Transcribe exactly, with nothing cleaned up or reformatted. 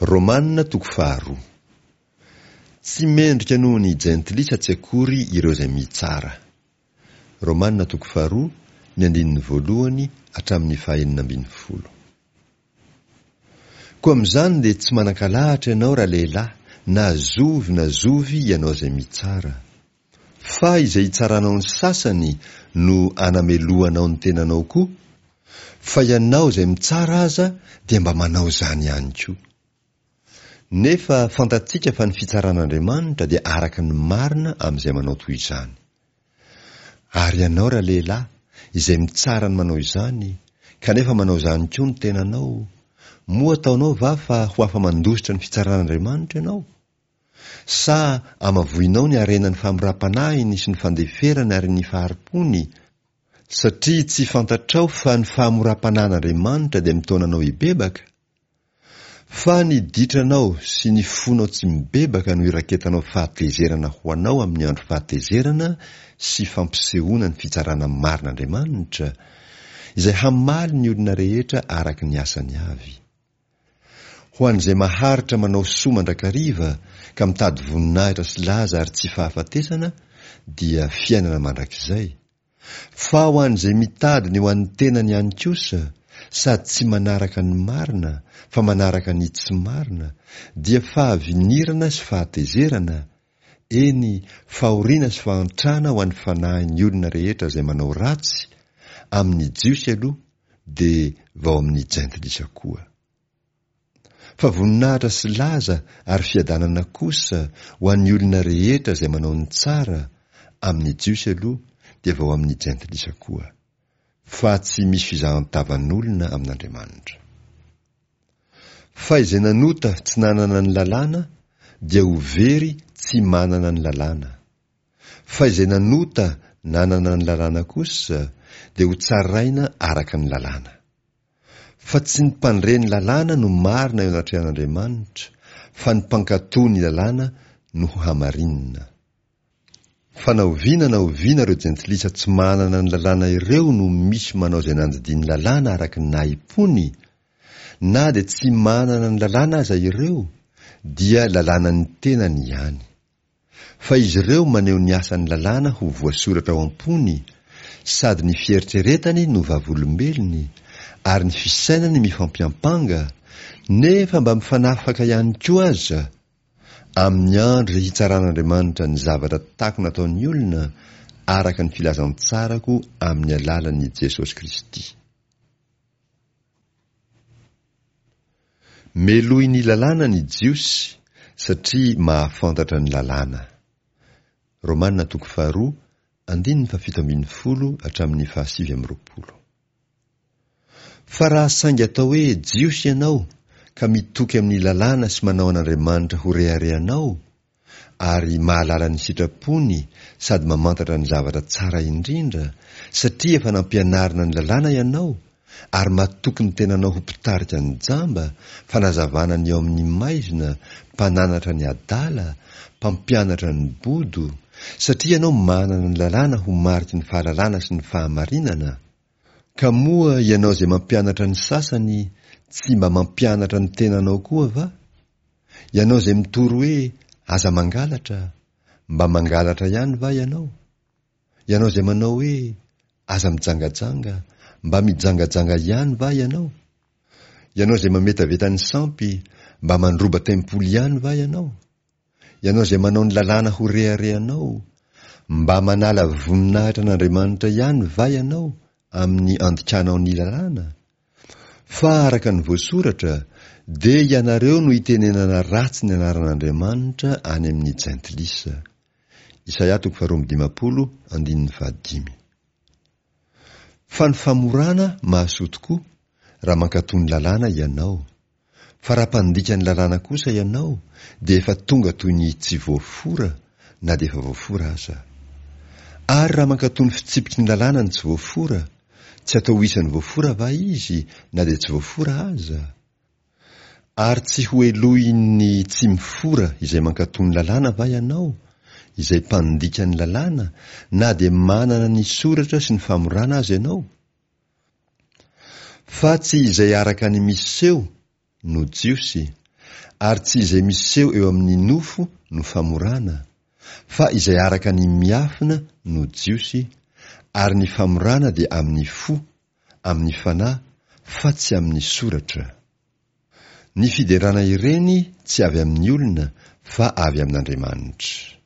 Romana toko faharoa. Tsy mendrika noho ny jentilisa tsy akory ireo izay mitsara. Romana toko faharoa, ny andininy voalohany hatramin'ny fahenina ambin'ny folo. Koa amin'izany dia tsy manan-kalahatra ianao ralehilahy, na zovy na zovy ianao izay mitsara. Fa izay hitsaranao ny sasany no anamelohanao ny tenanao koa, fa ianao izay mitsara aza dia mba manao izany ihany koa. Nefa fantatsika fa ny fitsaran'Andriamanitra dia araka ny marina amin'izay manao toy izany. Ary ianao ralehilahy, izay mitsara ny manao izany, kanefa manao izany koa ny tenanao, moa ataonao va fa ho afa-mandositra ny fitsaran'Andriamanitra ianao? Sa amavoinao ny harenan'ny famoram-panahiny sy ny fandeferany ary ny fahari-pony, satria tsy fantatrao fa ny fahamoram-panahin'Andriamanitra dia mitaona anao hibebaka? Fa ny ditranao sy ny fonao tsy mibebaka no iraketanao fahatezerana ho anao amin'ny andro fahatezerana sy fampisehoana ny fitsarana marin'Andriamanitra, izay hamaly ny olona rehetra araka ny asany avy. Ho an'izay maharitra manao soa mandrakariva ka mitady voninahitra sy laza ary tsy fahafatesana dia fiainana mandrakizay. Fa ho an'izay mitady ny ho an'ny tenany ihany kosa, sady tsy manaraka ny marina fa manaraka ny tsy marina, dia fahavinirana sy fahatezerana, eny fahoriana sy fahantrana ho an'ny fanahin'ny olona rehetra izay manao ratsy, amin'ny Jiosy aloha dia vao amin'ny jentilisa koa. Fa voninahitra sy laza ary fiadanana kosa ho an'ny olona rehetra izay manao ny tsara, amin'ny Jiosy aloha dia vao amin'ny jentilisa koa. Fa tsy misy fizahan-tavan'olona amin'Andriamanitra. Fa izay nanota tsy nanana ny lalàna dia ho very tsy manana ny lalàna. Fa izay nanota nanana ny lalàna kosa dia ho tsaraina araka ny lalàna. Fa tsy ny mpandre ny lalàna no marina eo anatrehan'Andriamanitra, fa ny mpankatò ny lalàna no ho hamarinina. Fa na oviana na oviana ireo jentilisa tsy manana ny lalàna ireo no misy manao izay nandidian'ny lalàna araka ny nahim-pony, na dia tsy manana ny lalàna aza ireo, dia lalànan'ny tenany ihany. Fa izy ireo maneho ny asan'ny lalàna ho voasoratra ao am-pony, sady ny fieritreretany no vavolombelony, ary ny fisainany mifampiampanga, nefa mba mifanafaka ihany koa aza, amin'ny andro izay hitsaran'Andriamanitra ny zavatra takona ataon'ny olona araka ny filazantsarako amin'ny alalan'i Jesosy Kristy. Melohin'ny lalàna ny Jiosy satria mahafantatra ny lalàna. Romana toko faharoa, andininy fahafito ambin'ny folo hatramin'ny fahasivy amby roapolo. Fa raha saingy atao hoe Jiosy ianao ka mitoky amin'ny lalàna sy manao an'Andriamanitra ho reharehanao, ary mahalala ny sitrapony sady mamantatra ny zavatra tsara indrindra, satria efa nampianarina ny lalàna ianao, ary matoky ny tenanao ho mpitarika ny jamba, fanazavana ny eo amin'ny maizina, mpananatra ny adala, mpampianatra ny bodo, satria ianao manana ny lalàna ho mariky ny fahalalana sy ny fahamarinana. Ka moa ianao izay mampianatra ny sasany tsy mba mampianatra ny tenanao koa va? Ianao izay mitory hoe aza mangalatra, mba mangalatra ihany va ianao? Ianao izay manao hoe aza mijangajanga, mba mijangajanga ihany va ianao? Ianao izay mametaveta ny sampy, mba mandroba tempoly ihany va ianao? Ianao izay manao ny lalàna ho reharehanao, mba manala voninahitra an'Andriamanitra ihany va ianao amin'ny andikanao ny lalàna? Fa araka ny voasoratra, dia ianareo no itenenana ratsy ny anaran'Andriamanitra any amin'ny jentilisa. Isaia toko faharoa amby dimampolo, andininy fahadimy. Fa ny famorana mahasoa tokoa raha mankatò ny lalàna ianao. Fa raha mpandika ny lalàna kosa ianao, dia efa tonga toy ny tsy voafora na dia efa voafora aza. Ary raha mankatò ny fitsipiky ny lalàna ny tsy voafora, tsy atao ho isan'ny voafora va izy na dia tsy voafora aza? Ary tsy ho helohin'ny tsy mifora izay mankatò ny lalàna va ianao, izay mpandika ny lalàna, na dia manana ny soratra sy ny famorana aza ianao? Fa tsy izay araka ny miseho no Jiosy, Ary tsy izay miseho eo amin'ny nofo no famorana, fa izay araka ny miafina no Jiosy, ary ny famorana dia amin'ny fo, amin'ny fanahy, fa tsy amin'ny soratra. Ny fiderana ireny tsy avy amin'ny olona fa avy amin'Andriamanitra.